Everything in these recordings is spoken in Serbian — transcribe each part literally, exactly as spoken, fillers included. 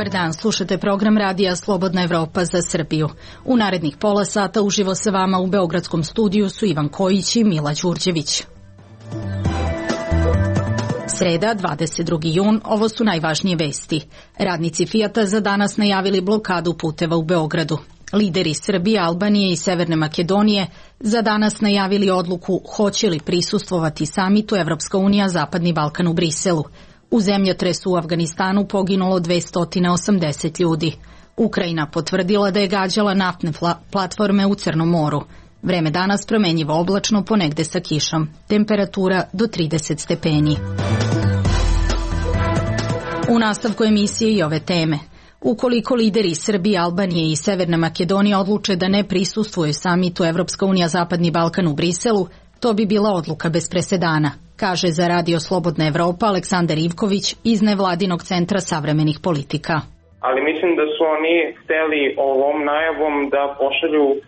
Dobar dan, slušate program radija Slobodna Evropa za Srbiju. U narednih pola sata uživo sa vama u Beogradskom studiju su Ivan Kojić i Mila Đurđević. Sreda, dvadeset drugi jun, ovo su najvažnije vesti. Radnici Fijata za danas najavili blokadu puteva u Beogradu. Lideri Srbije, Albanije i Severne Makedonije za danas najavili odluku hoće li prisustvovati samitu Evropska unija Zapadni Balkan u Briselu. U zemljotresu u Afganistanu poginulo dvesta osamdeset ljudi. Ukrajina potvrdila da je gađala naftne platforme u Crnom moru. Vreme danas promenjivo oblačno, ponegde sa kišom. Temperatura do trideset stepeni. U nastavku emisije i ove teme. Ukoliko lideri Srbije, Albanije i Severne Makedonije odluče da ne prisustvuju samitu Evropska unija Zapadni Balkan u Briselu, to bi bila odluka bez presedana, kaže za Radio Slobodna Evropa Aleksandar Ivković iz Nevladinog centra savremenih politika. Ali mislim da su oni hteli ovom najavom da pošalju uh,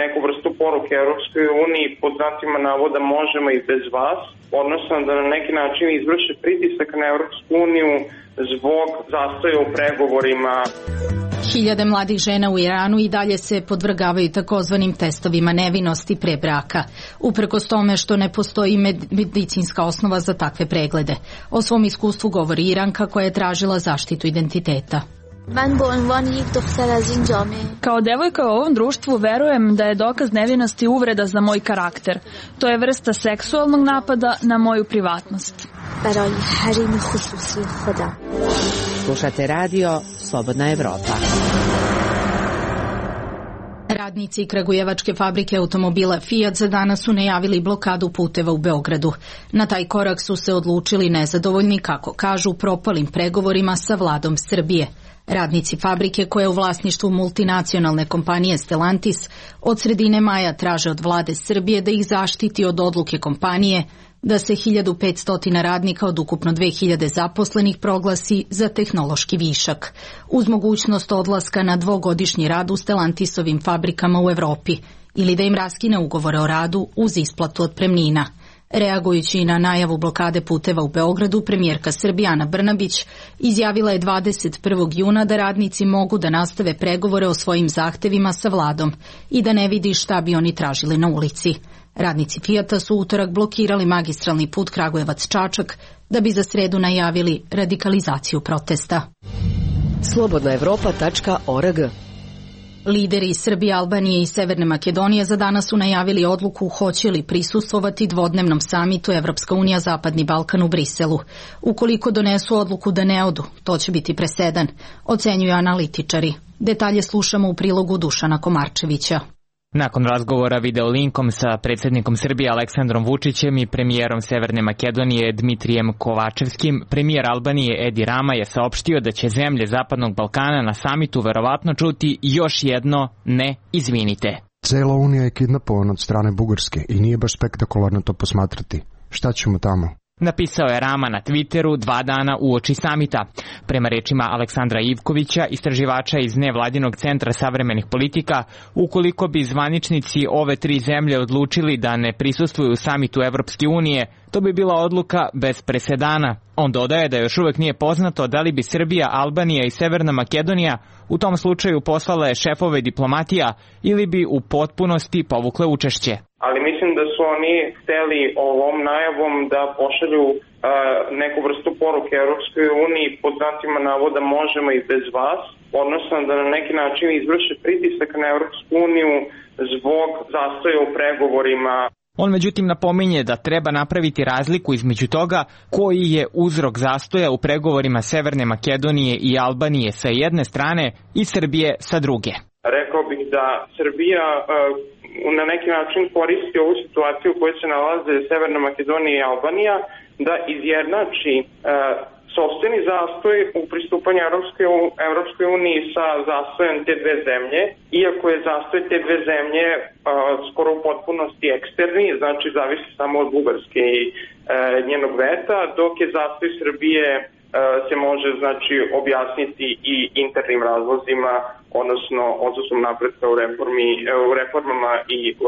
neku vrstu poruke Evropskoj uniji pod znacima navoda možemo i bez vas, odnosno da na neki način izvrše pritisak na Evropsku uniju zbog zastoja u pregovorima. Hiljade mladih žena u Iranu i dalje se podvrgavaju takozvanim testovima nevinosti pre braka, uprkos tome što ne postoji medicinska osnova za takve preglede. O svom iskustvu govori Iranka koja je tražila zaštitu identiteta. Kao devojka u ovom društvu verujem da je dokaz nevinosti uvreda za moj karakter. To je vrsta seksualnog napada na moju privatnost. Slušate radio Slobodna Evropa. Radnici kragujevačke fabrike automobila Fiat za danas su najavili blokadu puteva u Beogradu. Na taj korak su se odlučili nezadovoljni, kako kažu, propalim pregovorima sa vladom Srbije. Radnici fabrike, koja je u vlasništvu multinacionalne kompanije Stellantis, od sredine maja traže od vlade Srbije da ih zaštiti od odluke kompanije da se hiljadu petsto radnika od ukupno dve hiljade zaposlenih proglasi za tehnološki višak, uz mogućnost odlaska na dvogodišnji rad u Stellantisovim fabrikama u Evropi ili da im raskine ugovore o radu uz isplatu otpremnina. Reagujući na najavu blokade puteva u Beogradu, premijerka Srbije Ana Brnabić izjavila je dvadeset prvog juna da radnici mogu da nastave pregovore o svojim zahtevima sa vladom i da ne vidi šta bi oni tražili na ulici. Radnici Fijata su utorak blokirali magistralni put Kragujevac-Čačak da bi za sredu najavili radikalizaciju protesta. slobodna evropa tačka org. Lideri Srbije, Albanije i Severne Makedonije za danas su najavili odluku hoće li prisustvovati dvodnevnom samitu Evropska unija Zapadni Balkan u Briselu. Ukoliko donesu odluku da ne odu, to će biti presedan, ocenjuju analitičari. Detalje slušamo u prilogu Dušana Komarčevića. Nakon razgovora video linkom sa predsjednikom Srbije Aleksandrom Vučićem i premijerom Severne Makedonije Dmitrijem Kovačevskim, premijer Albanije Edi Rama je saopštio da će zemlje Zapadnog Balkana na samitu verovatno čuti još jedno ne izvinite. Cela Unija je kidnapovana od strane Bugarske i nije baš spektakularno to posmatrati. Šta ćemo tamo? Napisao je Rama na Twitteru dva dana uoči samita. Prema rečima Aleksandra Ivkovića, istraživača iz Nevladinog centra savremenih politika, ukoliko bi zvaničnici ove tri zemlje odlučili da ne prisustvuju samitu Evropske unije, to bi bila odluka bez presedana. On dodaje da još uvek nije poznato da li bi Srbija, Albanija i Severna Makedonija u tom slučaju poslale šefove diplomatija ili bi u potpunosti povukle učešće. Ali mislim da su oni hteli ovom najavom da pošalju uh, neku vrstu poruke Evropskoj uniji pod znacima navoda možemo i bez vas, odnosno da na neki način izvrše pritisak na Evropsku uniju zbog zastoja u pregovorima. On međutim napominje da treba napraviti razliku između toga koji je uzrok zastoja u pregovorima Severne Makedonije i Albanije sa jedne strane i Srbije sa druge. Rekao bih da Srbija uh, na neki način koristi ovu situaciju u kojoj se nalaze Severna Makedonija i Albanija da izjednači uh, sopstveni zastoj u pristupanju Evropskoj, Evropskoj uniji sa zastojem te dve zemlje, iako je zastoj te dve zemlje uh, skoro u potpunosti eksterni, znači zavisi samo od Bugarske i uh, njenog veta, dok je zastoj Srbije uh, se može znači objasniti i internim razlozima, odnosno odsustvom napretka u, reformi, u reformama i uh,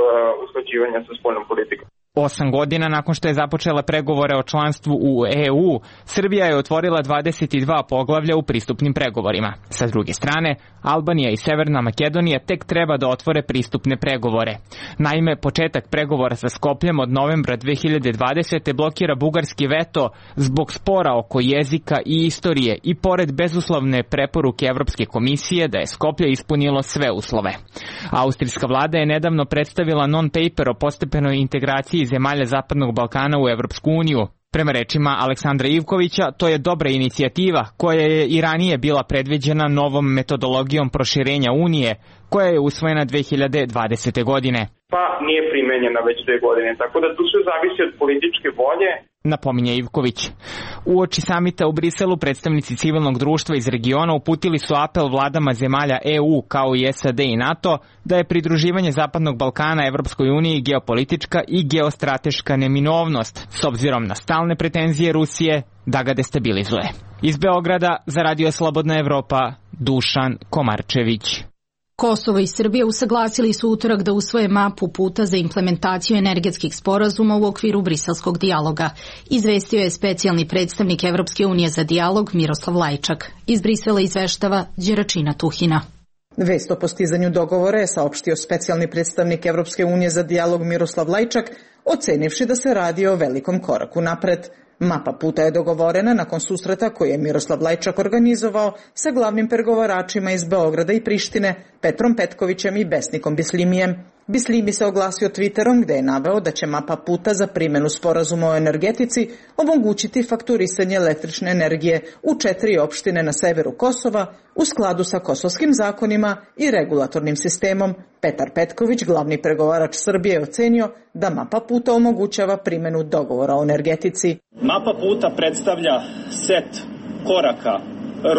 usklađivanja sa spoljnom politikom. Osam godina nakon što je započela pregovore o članstvu u E U, Srbija je otvorila dvadeset dva poglavlja u pristupnim pregovorima. Sa druge strane, Albanija i Severna Makedonija tek treba da otvore pristupne pregovore. Naime, početak pregovora sa Skopljem od novembra dve hiljade dvadesete blokira bugarski veto zbog spora oko jezika i istorije i pored bezuslovne preporuke Evropske komisije da je Skoplje ispunilo sve uslove. Austrijska vlada je nedavno predstavila non-paper o postepenoj integraciji zemalja Zapadnog Balkana u Evropsku uniju. Prema rečima Aleksandra Ivkovića, to je dobra inicijativa koja je i ranije bila predviđena novom metodologijom proširenja Unije, koja je usvojena dve hiljade dvadesete godine. Pa nije primenjena već dve godine, tako da tu sve zavisi od političke volje. Napominje Ivković. Uoči samita u Briselu predstavnici civilnog društva iz regiona uputili su apel vladama zemalja E U kao i S A D i NATO da je pridruživanje Zapadnog Balkana Evropskoj uniji geopolitička i geostrateška neminovnost s obzirom na stalne pretenzije Rusije da ga destabilizuje. Iz Beograda za Radio Slobodna Evropa, Dušan Komarčević. Kosovo i Srbija usaglasili su utorak da usvoje mapu puta za implementaciju energetskih sporazuma u okviru briselskog dijaloga. Izvestio je specijalni predstavnik Evropske unije za dijalog Miroslav Lajčak. Iz Brisela izveštava Đeračina Tuhina. Vest o postizanju dogovora je saopštio specijalni predstavnik Evropske unije za dijalog Miroslav Lajčak, ocenivši da se radi o velikom koraku napred. Mapa puta je dogovorena nakon susreta koji je Miroslav Lajčak organizovao sa glavnim pregovaračima iz Beograda i Prištine, Petrom Petkovićem i Besnikom Bislimijem. Bislimi se oglasio Twitterom gde je naveo da će mapa puta za primjenu sporazuma o energetici omogućiti fakturisanje električne energije u četiri opštine na severu Kosova u skladu sa kosovskim zakonima i regulatornim sistemom. Petar Petković, glavni pregovarač Srbije, je ocenio da mapa puta omogućava primjenu dogovora o energetici. Mapa puta predstavlja set koraka,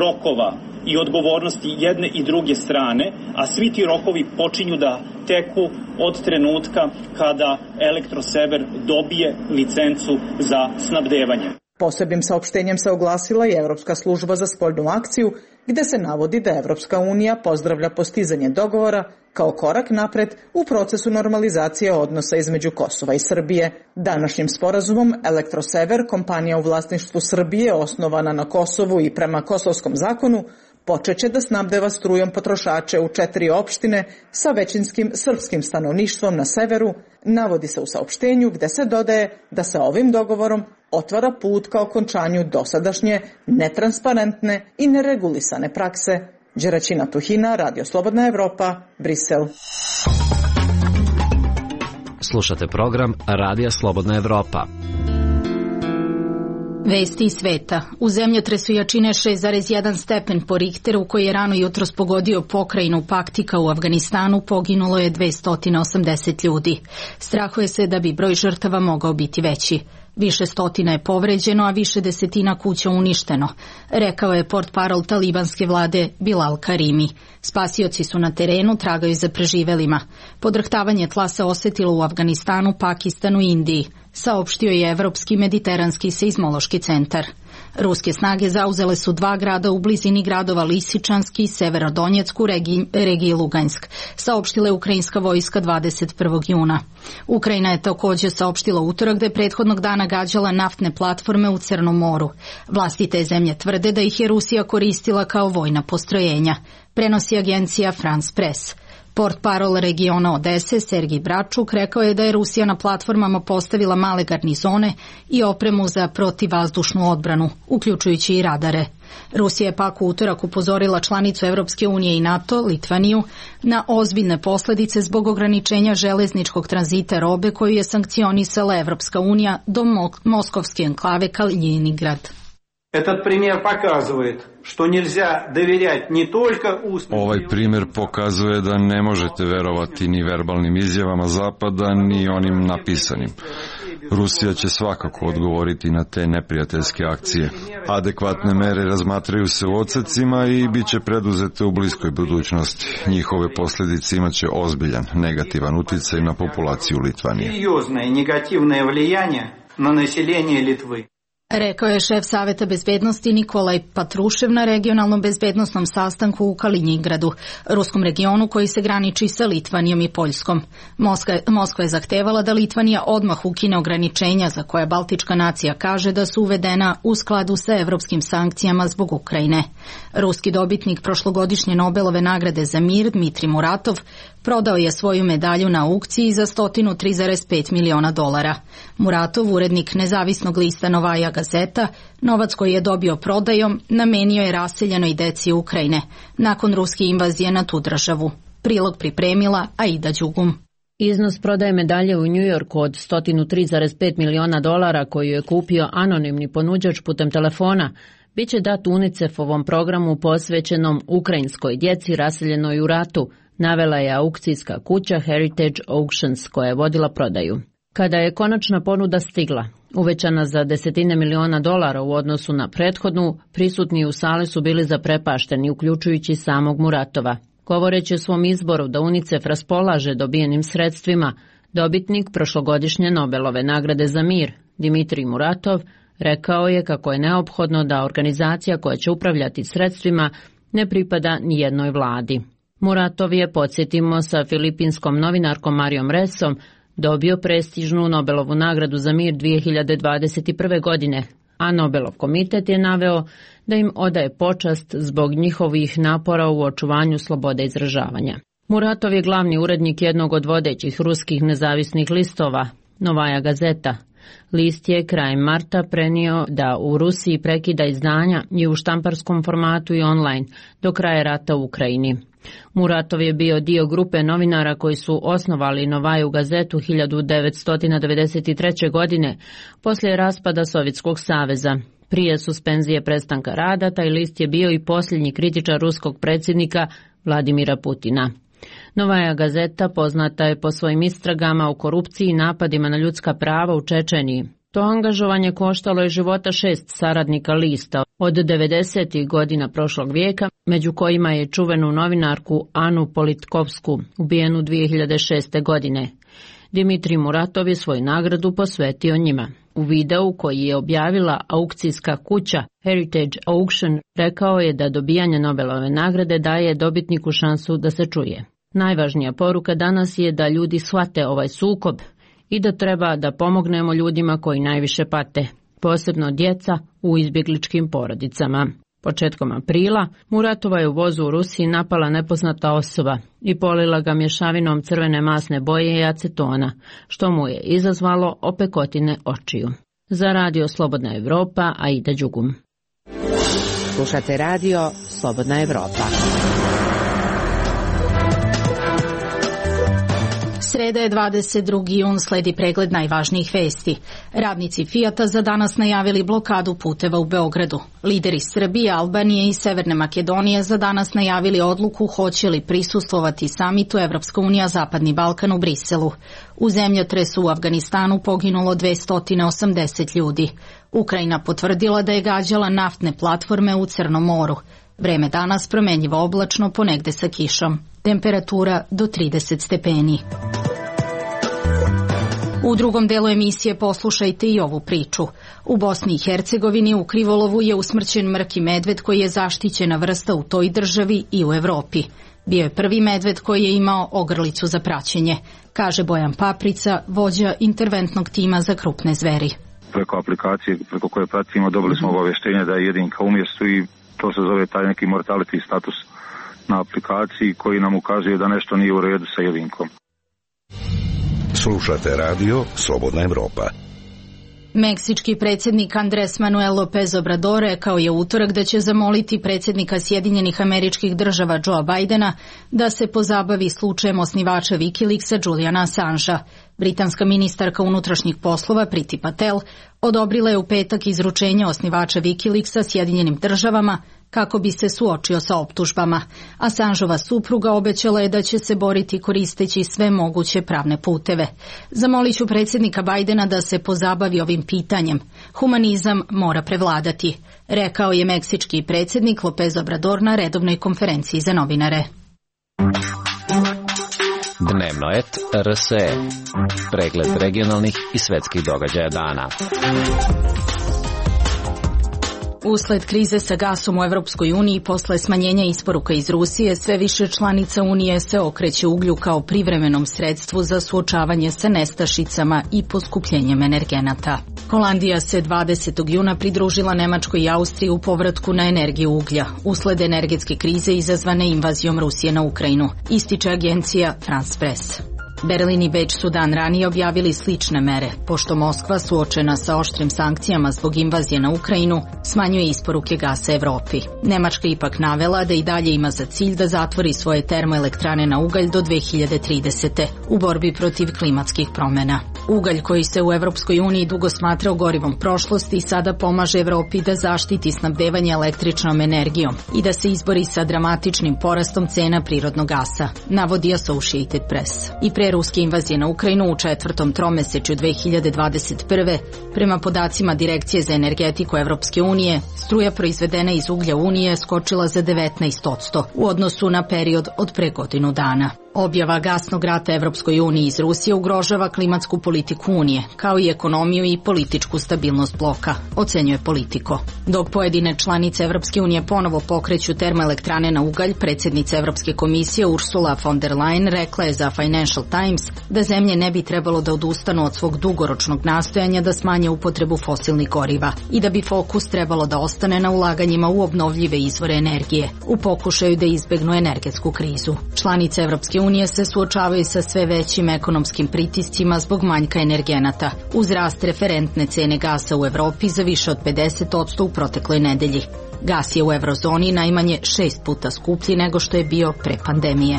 rokova i odgovornosti jedne i druge strane, a svi ti rokovi počinju da teku od trenutka kada Elektrosever dobije licencu za snabdevanje. Posebnim saopštenjem se oglasila i Evropska služba za spoljnu akciju, gde se navodi da Evropska unija pozdravlja postizanje dogovora kao korak napred u procesu normalizacije odnosa između Kosova i Srbije. Današnjim sporazumom Elektrosever, kompanija u vlasništvu Srbije osnovana na Kosovu i prema kosovskom zakonu, počeće da snabdeva strujom potrošače u četiri opštine sa većinskim srpskim stanovništvom na severu, navodi se u saopštenju gde se dodaje da se ovim dogovorom otvara put ka okončanju dosadašnje, netransparentne i neregulisane prakse. Đeračina Tuhina, Radio Slobodna Evropa, Brisel. Slušate program Radija Slobodna Evropa. Vesti iz sveta. U zemljotresu jačine šest zarez jedan stepen po Richteru koji je rano jutros pogodio pokrajinu Paktika u Afganistanu poginulo je dvesta osamdeset ljudi. Strahuje se da bi broj žrtava mogao biti veći. Više stotina je povređeno, a više desetina kuća uništeno, rekao je portparol talibanske vlade Bilal Karimi. Spasioci su na terenu, tragaju za preživelima. Podrhtavanje tla se osetilo u Afganistanu, Pakistanu i Indiji, saopštio je Evropski mediteranski seizmološki centar. Ruske snage zauzele su dva grada u blizini gradova Lisičanski i Severodonjecku regiji, regiji Lugansk, saopštila je ukrajinska vojska dvadeset prvog juna. Ukrajina je također saopštila utorak da je prethodnog dana gađala naftne platforme u Crnom moru. Vlasti te zemlje tvrde da ih je Rusija koristila kao vojna postrojenja, prenosi agencija France Press. Portparol regiona Odese Sergij Bračuk rekao je da je Rusija na platformama postavila male garnizone i opremu za protivvazdušnu odbranu, uključujući i radare. Rusija je pak u utorak upozorila članicu Evropske unije i NATO, Litvaniju, na ozbiljne posljedice zbog ograničenja železničkog tranzita robe koju je sankcionisala Evropska unija do moskovske enklave Kaliningrad. Этот пример показывает, что нельзя доверять не только устным... Ovaj primjer pokazuje da ne možete verovati ni verbalnim izjavama Zapada, ni onim napisanim. Rusija će svakako odgovoriti na te neprijateljske akcije. Adekvatne mere razmatraju se u odsecima i bit će preduzete u bliskoj budućnosti. Njihove posljedice imaće ozbiljan negativan uticaj na populaciju Litvanije. Серьезное негативное влияние на население Литвы. Rekao je šef Saveta bezbednosti Nikolaj Patrušev na regionalnom bezbednostnom sastanku u Kaliningradu, ruskom regionu koji se graniči sa Litvanijom i Poljskom. Moskva, Moskva je zahtevala da Litvanija odmah ukine ograničenja za koje Baltička nacija kaže da su uvedena u skladu sa evropskim sankcijama zbog Ukrajine. Ruski dobitnik prošlogodišnje Nobelove nagrade za mir, Dmitrij Muratov, prodao je svoju medalju na aukciji za sto tri zarez pet miliona dolara. Muratov, urednik nezavisnog lista Novaja Gazeta, novac koji je dobio prodajom namenio je raseljenoj deci Ukrajine nakon ruske invazije na tu državu. Prilog pripremila Aida Đugum. Iznos prodaje medalje u Njujorku od sto tri zarez pet miliona dolara koju je kupio anonimni ponuđač putem telefona biće dat UNICEF-ovom programu posvećenom ukrajinskoj djeci raseljenoj u ratu, navela je aukcijska kuća Heritage Auctions koja je vodila prodaju. Kada je konačna ponuda stigla, uvećana za desetine miliona dolara u odnosu na prethodnu, prisutni u sali su bili zaprepašteni, uključujući samog Muratova. Govoreći o svom izboru da UNICEF raspolaže dobijenim sredstvima, dobitnik prošlogodišnje Nobelove nagrade za mir, Dmitrij Muratov, rekao je kako je neophodno da organizacija koja će upravljati sredstvima ne pripada ni jednoj vladi. Muratov je, podsjetimo, sa filipinskom novinarkom Marijom Resom dobio prestižnu Nobelovu nagradu za mir dvije hiljade dvadeset prve. godine, a Nobelov komitet je naveo da im odaje počast zbog njihovih napora u očuvanju slobode izražavanja. Muratov je glavni urednik jednog od vodećih ruskih nezavisnih listova, Novaja Gazeta. List je krajem marta prenio da u Rusiji prekida izdanja i u štamparskom formatu i online do kraja rata u Ukrajini. Muratov je bio dio grupe novinara koji su osnovali Novaju Gazetu hiljadu devetsto devedeset treće. godine poslije raspada Sovjetskog saveza. Prije suspenzije prestanka rada, taj list je bio i posljednji kritičar ruskog predsjednika Vladimira Putina. Novaja Gazeta poznata je po svojim istragama o korupciji i napadima na ljudska prava u Čečeniji. To angažovanje koštalo je života šest saradnika lista od devedesetih godina prošlog vijeka, među kojima je čuvenu novinarku Anu Politkovsku, ubijenu dvije hiljade šeste. godine. Dmitrij Muratov je svoju nagradu posvetio njima. U videu koji je objavila aukcijska kuća Heritage Auction rekao je da dobijanje Nobelove nagrade daje dobitniku šansu da se čuje. Najvažnija poruka danas je da ljudi shvate ovaj sukob i da treba da pomognemo ljudima koji najviše pate, posebno djeca u izbjegličkim porodicama. Početkom aprila Muratova je u vozu u Rusiji napala nepoznata osoba i polila ga mješavinom crvene masne boje i acetona, što mu je izazvalo opekotine očiju. Za radio Slobodna Evropa, Aida Đugum. Slušate radio Slobodna Evropa. Sreda je dvadeset drugi jun, sledi pregled najvažnijih vesti. Radnici Fijata za danas najavili blokadu puteva u Beogradu. Lideri Srbije, Albanije i Severne Makedonije za danas najavili odluku hoće li prisustvovati samitu Evropska unija Zapadni Balkan u Briselu. U zemljotresu u Afganistanu poginulo dvesta osamdeset ljudi. Ukrajina potvrdila da je gađala naftne platforme u Crnom moru. Vreme danas promenljivo oblačno, ponegde sa kišom. Temperatura do trideset stepeni. U drugom delu emisije poslušajte i ovu priču. U Bosni i Hercegovini u Krivolovu je usmrćen mrki medved koji je zaštićena vrsta u toj državi i u Evropi. Bio je prvi medved koji je imao ogrlicu za praćenje, kaže Bojan Paprica, vođa interventnog tima za krupne zveri. Preko aplikacije preko koje pratimo dobili smo obavještenje da je jedinka u mjestu i to se zove taj neki mortality status na aplikaciji koji nam ukazuje da nešto nije u redu sa jedinkom. Slušate radio Slobodna Evropa. Meksički predsjednik Andres Manuel López Obrador rekao je u utorak da će zamoliti predsjednika Sjedinjenih Američkih Država Joea Bidena da se pozabavi slučajem osnivača Wikileaksa Juliana Assangea. Britanska ministarka unutrašnjih poslova Priti Patel odobrila je u petak izručenje osnivača Wikileaksa Sjedinjenim Državama kako bi se suočio sa optužbama. Assangeova supruga obećala je da će se boriti koristeći sve moguće pravne puteve. Zamolit ću predsjednika Bidena da se pozabavi ovim pitanjem. Humanizam mora prevladati, rekao je meksički predsjednik López Obrador na redovnoj konferenciji za novinare. Dnevno et R S E. Pregled regionalnih i svetskih događaja dana. Usled krize sa gasom u Evropskoj uniji posle smanjenja isporuka iz Rusije, sve više članica Unije se okreće uglju kao privremenom sredstvu za suočavanje sa nestašicama i poskupljenjem energenata. Holandija se dvadesetog juna pridružila Nemačkoj i Austriji u povratku na energiju uglja, usled energetske krize izazvane invazijom Rusije na Ukrajinu, ističe agencija France Press. Berlin i Beč su dan ranije objavili slične mere, pošto Moskva, suočena sa oštrim sankcijama zbog invazije na Ukrajinu, smanjuje isporuke gasa Evropi. Nemačka ipak navela da i dalje ima za cilj da zatvori svoje termoelektrane na ugalj do dve hiljade tridesete. u borbi protiv klimatskih promena. Ugalj koji se u Evropskoj uniji dugo smatrao gorivom prošlosti sada pomaže Evropi da zaštiti snabdevanje električnom energijom i da se izbori sa dramatičnim porastom cena prirodnog gasa, navodi Associated Press. I pre ruske invazije na Ukrajinu u četvrtom tromesečju dve hiljade dvadeset prve. prema podacima Direkcije za energetiku Evropske unije, struja proizvedena iz uglja Unije skočila za devetnaest posto u odnosu na period od pre godinu dana. Objava gasnog rata Evropskoj uniji iz Rusije ugrožava klimatsku politiku Unije, kao i ekonomiju i političku stabilnost bloka, ocenjuje Politico. Dok pojedine članice Evropske unije ponovo pokreću termoelektrane na ugalj, predsjednica Evropske komisije Ursula von der Leyen rekla je za Financial Times da zemlje ne bi trebalo da odustanu od svog dugoročnog nastojanja da smanje upotrebu fosilnih goriva i da bi fokus trebalo da ostane na ulaganjima u obnovljive izvore energije, u pokušaju da izbegnu energetsku krizu. Članice Evropske unije se suočavaju sa sve većim ekonomskim pritiscima zbog manjka energenata, uz rast referentne cene gasa u Evropi za više od pedeset posto u protekloj nedelji. Gas je u eurozoni najmanje šest puta skuplji nego što je bio pre pandemije.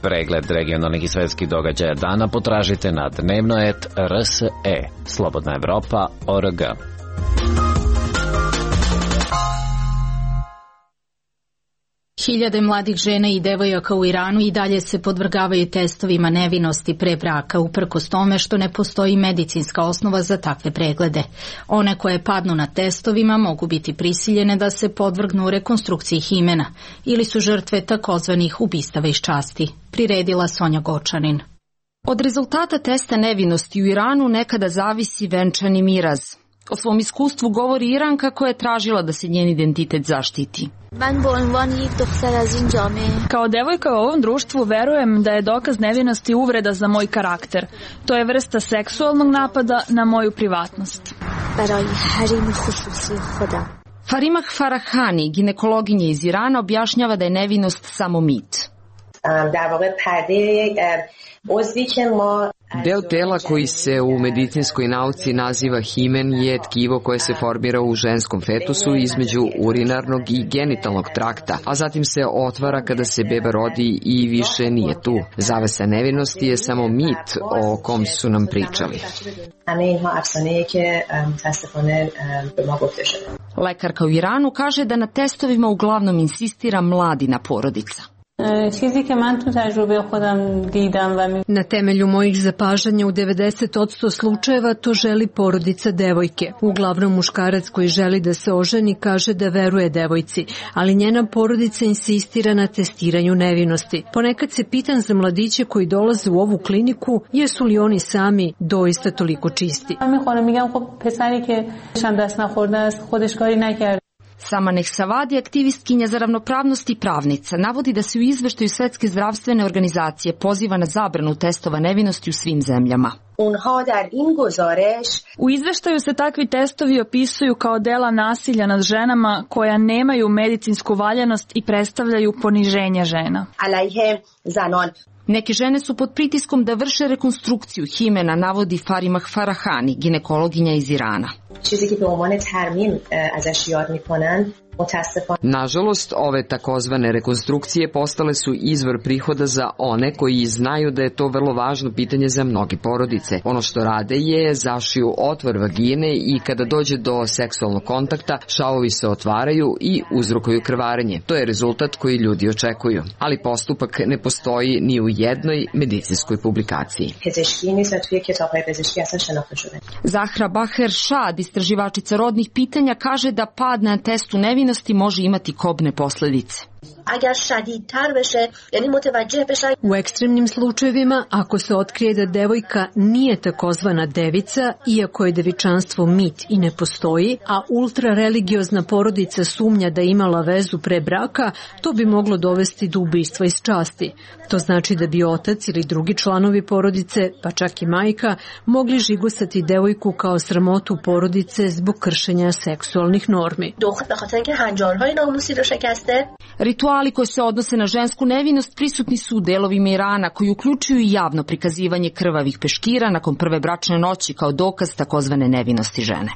Pregled regionalnih i svetskih događaja dana potražite na dnevnoet R S E, Slobodna Evropa, O R G. Hiljade mladih žena i devojaka u Iranu i dalje se podvrgavaju testovima nevinosti pre braka, uprkos tome što ne postoji medicinska osnova za takve preglede. One koje padnu na testovima mogu biti prisiljene da se podvrgnu rekonstrukciji himena ili su žrtve takozvanih ubistava iz časti, priredila Sonja Gočanin. Od rezultata testa nevinosti u Iranu nekada zavisi venčani miraz. O svom iskustvu govori Iranka koja je tražila da se njen identitet zaštiti. Kao devojka u ovom društvu verujem da je dokaz nevinosti uvreda za moj karakter. To je vrsta seksualnog napada na moju privatnost. Farimah Farahani, ginekologinja iz Irana, objašnjava da je nevinost samo mit. Deo tela koji se u medicinskoj nauci naziva himen je tkivo koje se formira u ženskom fetusu između urinarnog i genitalnog trakta, a zatim se otvara kada se beba rodi i više nije tu. Zavesa nevinosti je samo mit o kom su nam pričali. Lekarka u Iranu kaže da na testovima uglavnom insistira mladina porodica. Na temelju mojih zapažanja u devedeset posto slučajeva to želi porodica devojke. Uglavnom muškarac koji želi da se oženi kaže da veruje devojci, ali njena porodica insistira na testiranju nevinosti. Ponekad se pitam za mladiće koji dolaze u ovu kliniku, jesu li oni sami doista toliko čisti. Sama Nehsavadi, aktivistkinja za ravnopravnost i pravnica, navodi da se u izveštaju Svetske zdravstvene organizacije poziva na zabranu testova nevinosti u svim zemljama. U izveštaju se takvi testovi opisuju kao dela nasilja nad ženama koja nemaju medicinsku valjanost i predstavljaju poniženje žena. Neke žene su pod pritiskom da vrše rekonstrukciju himena, navodi Farimah Farahani, ginekologinja iz Irana. Nažalost, ove takozvane rekonstrukcije postale su izvor prihoda za one koji znaju da je to vrlo važno pitanje za mnoge porodice. Ono što rade je zašiju otvor vagine i kada dođe do seksualnog kontakta, šavovi se otvaraju i uzrokuju krvarenje. To je rezultat koji ljudi očekuju, ali postupak ne postoji ni u jednoj medicinskoj publikaciji. Zahra Baher Šad, istraživačica rodnih pitanja, kaže da pad na testu nevinosti može imati kobne posledice. U ekstremnim slučajevima, ako se otkrije da devojka nije takozvana devica, iako je devičanstvo mit i ne postoji, a ultrareligiozna porodica sumnja da je imala vezu pre braka, to bi moglo dovesti do ubistva iz časti. To znači da bi otac ili drugi članovi porodice, pa čak i majka, mogli žigosati devojku kao sramotu porodice zbog kršenja seksualnih normi. Rituali koji se odnose na žensku nevinost prisutni su u delovima Irana, koji uključuju i javno prikazivanje krvavih peškira nakon prve bračne noći kao dokaz takozvane nevinosti žene.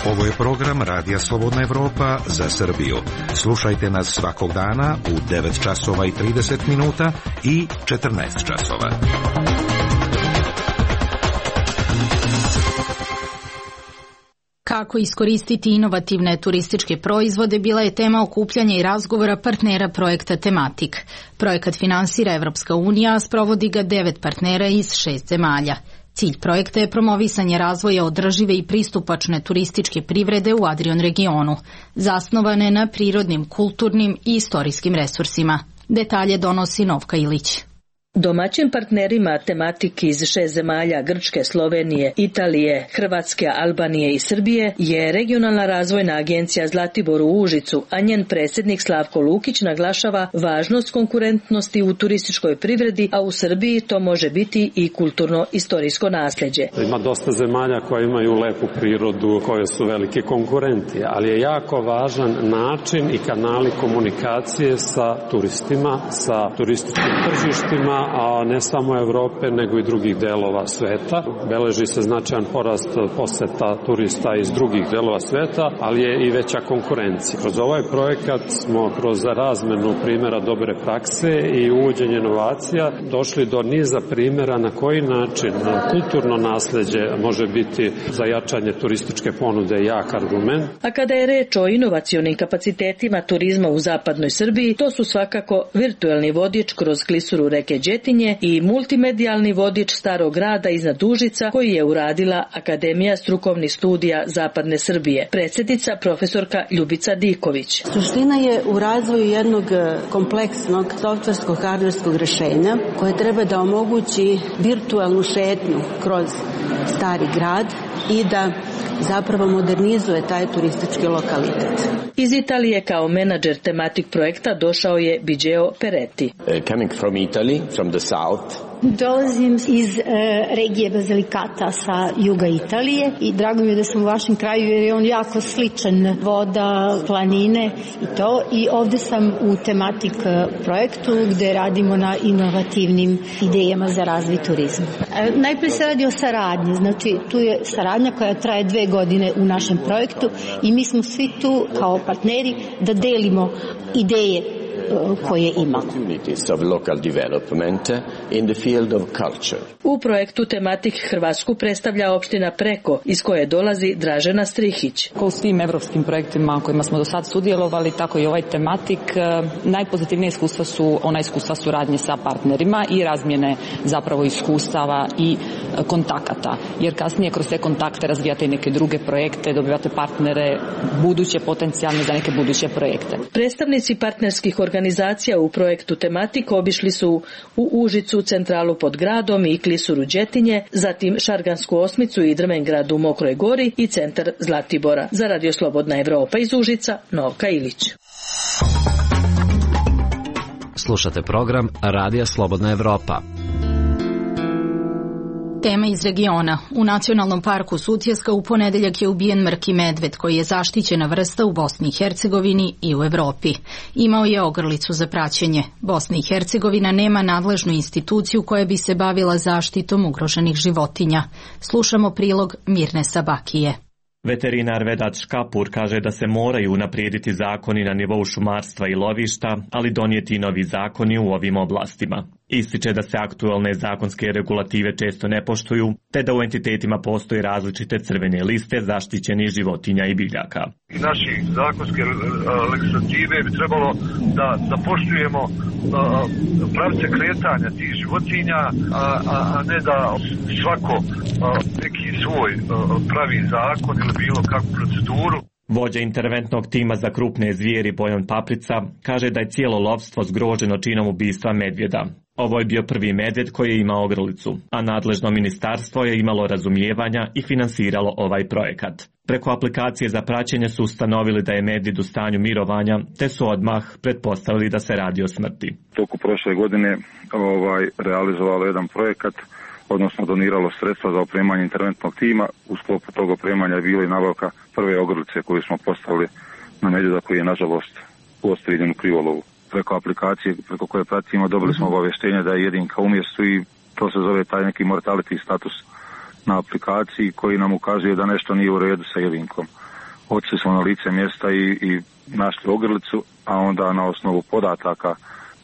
Ovo je program Radija Slobodna Evropa za Srbiju. Slušajte nas svakog dana u devet časova i trideset minuta i četrnaest časova. Kako iskoristiti inovativne turističke proizvode bila je tema okupljanja i razgovora partnera projekta Tematik. Projekat finansira Evropska unija, a sprovodi ga devet partnera iz šest zemalja. Cilj projekta je promovisanje razvoja održive i pristupačne turističke privrede u Adrion regionu, zasnovane na prirodnim, kulturnim i istorijskim resursima. Detalje donosi Novka Ilić. Domaćim partnerima Tematik iz šest zemalja Grčke, Slovenije, Italije, Hrvatske, Albanije i Srbije je Regionalna razvojna agencija Zlatibor u Užicu, a njen predsjednik Slavko Lukić naglašava važnost konkurentnosti u turističkoj privredi, a u Srbiji to može biti i kulturno-istorijsko nasljeđe. Ima dosta zemalja koje imaju lepu prirodu, koje su veliki konkurenti, ali je jako važan način i kanali komunikacije sa turistima, sa turističkim tržištima, a ne samo Evrope, nego i drugih delova sveta. Beleži se značajan porast poseta turista iz drugih delova sveta, ali je i veća konkurencija. Kroz ovaj projekat smo kroz razmenu primjera dobre prakse i uvođenje inovacija došli do niza primjera na koji način kulturno nasleđe može biti za jačanje turističke ponude jak argument. A kada je reč o inovacionim kapacitetima turizma u zapadnoj Srbiji, to su svakako virtuelni vodič kroz klisuru reke Đetinje i multimedijalni vodič Starog grada iznad Užica koji je uradila Akademija strukovnih studija Zapadne Srbije. Predsjednica profesorka Ljubica Diković. Suština je u razvoju jednog kompleksnog softverskog hardverskog rešenja koje treba da omogući virtualnu šetnju kroz Stari grad i da zapravo modernizuje taj turistički lokalitet. Iz Italije kao menadžer Tematik projekta došao je Biđeo Peretti. Uh, coming from Italy, from the south. Dolazim iz e, regije Basilikata sa juga Italije i drago mi je da sam u vašem kraju jer je on jako sličan, voda, planine i to. I ovde sam u Tematik projektu gde radimo na inovativnim idejama za razvoj turizma. E, najprije se radi o saradnji, znači tu je saradnja koja traje dve godine u našem projektu i mi smo svi tu kao partneri da delimo ideje koje imamo. U projektu Tematik Hrvatsku predstavlja opština Preko, iz koje dolazi Dražena Strihić. Kao u svim evropskim projektima kojima smo do sad sudjelovali, tako i ovaj Tematik, najpozitivnije iskustva su ona iskustva suradnje sa partnerima i razmjene zapravo iskustava i kontakata, jer kasnije kroz te kontakte razvijate i neke druge projekte, dobivate partnere buduće potencijalne za neke buduće projekte. Predstavnici partnerskih organizacija u projektu Tematik obišli su u Užicu, centralu pod gradom i klisuru Đetinje, zatim Šargansku osmicu i Drvengrad u Mokroj Gori i centar Zlatibora. Za Radio Slobodna Evropa iz Užica, Novka Ilić. Slušate program Radija Slobodna Evropa. Tema iz regiona. U Nacionalnom parku Sutjeska u ponedeljak je ubijen mrki medved koji je zaštićena vrsta u Bosni i Hercegovini i u Evropi. Imao je ogrlicu za praćenje. Bosna i Hercegovina nema nadležnu instituciju koja bi se bavila zaštitom ugroženih životinja. Slušamo prilog Mirne Sabakije. Veterinar Vedat Škapur kaže da se moraju unaprijediti zakoni na nivou šumarstva i lovišta, ali donijeti novi zakoni u ovim oblastima. Ističe da se aktualne zakonske regulative često ne poštuju, te da u entitetima postoje različite crvene liste zaštićenih životinja i biljaka. Naši zakonske legislative bi trebalo da, da poštujemo a, pravce kretanja tih životinja, a, a, a ne da svako a, neki svoj a, pravi zakon ili bilo kakvu proceduru. Vođa interventnog tima za krupne zvijeri Bojan Paprica kaže da je cijelo lovstvo zgroženo činom ubistva medvjeda. Ovo je bio prvi medvjed koji je imao ogrlicu, a nadležno ministarstvo je imalo razumijevanja i finansiralo ovaj projekat. Preko aplikacije za praćenje su ustanovili da je medvjed u stanju mirovanja, te su odmah pretpostavili da se radi o smrti. Toku prošle godine ovaj, realizovalo jedan projekat, odnosno doniralo sredstva za opremanje interventnog tima. U sklopu tog opremanja je bila i nabavka prve ogrlice koju smo postavili na medvjeda koji je nažalost uostrijeljen u krivolovu. Preko aplikacije preko koje pratimo dobili smo obavještenje da je jedinka u mjestu i to se zove taj neki mortality status na aplikaciji koji nam ukazuje da nešto nije u redu sa jedinkom. Otišli smo na lice mjesta i, i našli ogrlicu, a onda na osnovu podataka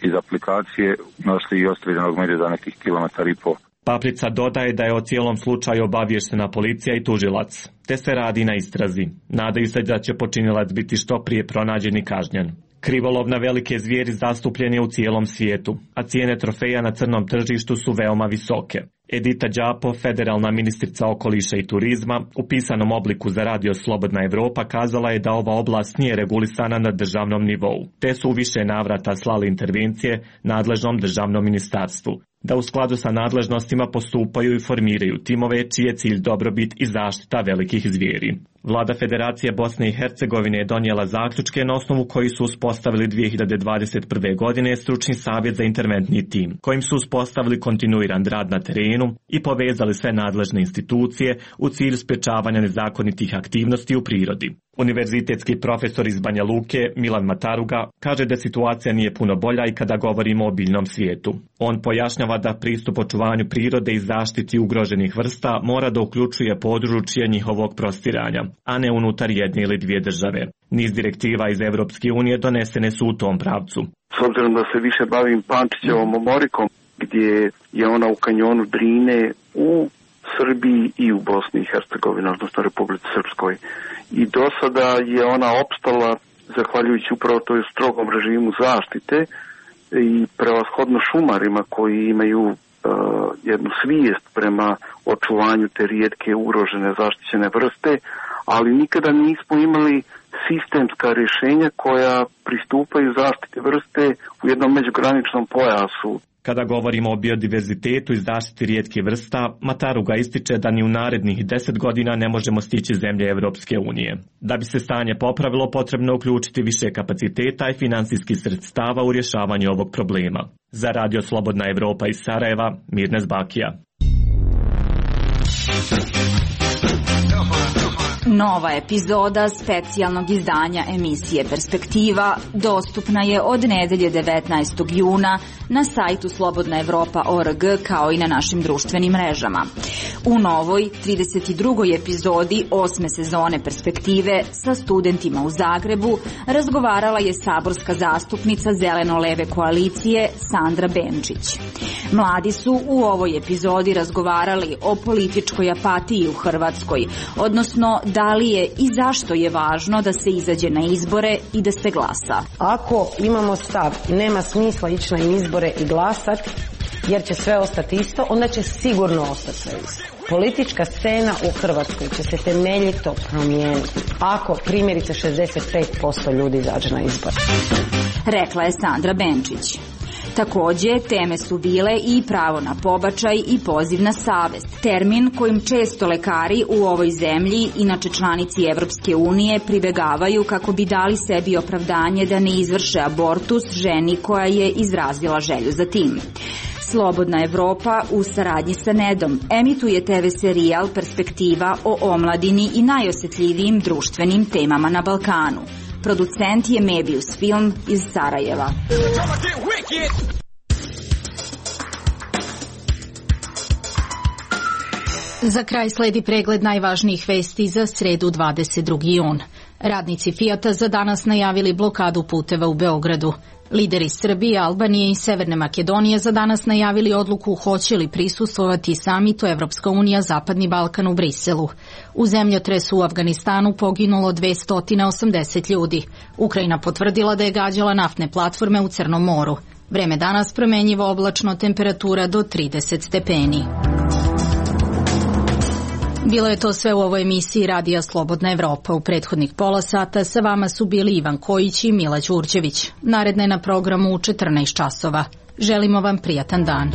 iz aplikacije našli i ostrijeljenog medvjeda nekih kilometar i po. Paprica dodaje da je o cijelom slučaju obavještena policija i tužilac, te se radi na istrazi. Nadaju se da će počinilac biti što prije pronađen i kažnjen. Krivolov na velike zvijeri zastupljen je u cijelom svijetu, a cijene trofeja na crnom tržištu su veoma visoke. Edita Đapo, federalna ministrica okoliša i turizma, u pisanom obliku za radio Slobodna Evropa kazala je da ova oblast nije regulisana na državnom nivou, te su u više navrata slali intervencije nadležnom državnom ministarstvu, da u skladu sa nadležnostima postupaju i formiraju timove čiji je cilj dobrobit i zaštita velikih zvijeri. Vlada Federacije Bosne i Hercegovine je donijela zaključke na osnovu koji su uspostavili dvije hiljade dvadeset prve. godine stručni savjet za interventni tim, kojim su uspostavili kontinuiran rad na terenu i povezali sve nadležne institucije u cilju sprečavanja nezakonitih aktivnosti u prirodi. Univerzitetski profesor iz Banja Luke, Milan Mataruga, kaže da situacija nije puno bolja i kada govorimo o biljnom svijetu. On pojašnjava da pristup očuvanju prirode i zaštiti ugroženih vrsta mora da uključuje područje njihovog prostiranja, a ne unutar jedne ili dvije države. Niz direktiva iz Evropske unije donesene su u tom pravcu. S obzirom da se više bavim Pančićevom omorikom, gdje je ona u kanjonu Drine u Srbiji i u Bosni i Hercegovini, odnosno Republici Srpskoj. I do sada je ona opstala zahvaljujući upravo toj strogom režimu zaštite i prevashodno šumarima koji imaju uh, jednu svijest prema očuvanju te rijetke ugrožene zaštićene vrste, ali nikada nismo imali sistemska rješenja koja pristupaju zaštiti vrste u jednom međugraničnom pojasu. Kada govorimo o biodiverzitetu i zaštiti rijetkih vrsta, Mataruga ističe da ni u narednih deset godina ne možemo stići zemlje Evropske unije. Da bi se stanje popravilo, potrebno uključiti više kapaciteta i finansijskih sredstava u rješavanju ovog problema. Za Radio Slobodna Evropa iz Sarajeva, Mirnes Bakija. Nova epizoda specijalnog izdanja emisije Perspektiva dostupna je od nedelje devetnaestog juna na sajtu slobodna evropa tačka org kao i na našim društvenim mrežama. U novoj trideset drugoj epizodi osme sezone Perspektive sa studentima u Zagrebu razgovarala je saborska zastupnica Zeleno-leve koalicije Sandra Benčić. Mladi su u ovoj epizodi razgovarali o političkoj apatiji u Hrvatskoj, odnosno da li je i zašto je važno da se izađe na izbore i da se glasa. Ako imamo stav i nema smisla ići na izbore i glasati, jer će sve ostati isto, onda će sigurno ostati sve isto. Politička scena u Hrvatskoj će se temeljito promijeniti ako primjerice šezdeset pet posto ljudi izađe na izbore. Rekla je Sandra Benčić. Takođe, teme su bile i pravo na pobačaj i poziv na savest, termin kojim često lekari u ovoj zemlji, inače članici Evropske unije, pribegavaju kako bi dali sebi opravdanje da ne izvrše abortus ženi koja je izrazila želju za tim. Slobodna Evropa u saradnji sa Nedom emituje te ve serijal Perspektiva o omladini i najosjetljivijim društvenim temama na Balkanu. Producent je Mebius Film iz Sarajeva. Za kraj sledi pregled najvažnijih vesti za sredu dvadeset drugi jun. Radnici Fijata za danas najavili blokadu puteva u Beogradu. Lideri Srbije, Albanije i Severne Makedonije za danas najavili odluku hoće li prisustvovati samitu Evropska unija Zapadni Balkan u Briselu. U zemljotresu u Afganistanu poginulo dvesta osamdeset ljudi. Ukrajina potvrdila da je gađala naftne platforme u Crnom moru. Vreme danas promenjivo, oblačno, temperatura do trideset stepeni. Bilo je to sve u ovoj emisiji Radija Slobodna Evropa. U prethodnih pola sata sa vama su bili Ivan Kojić i Mila Đurđević. Naredne na programu u četrnaest časova. Želimo vam prijatan dan.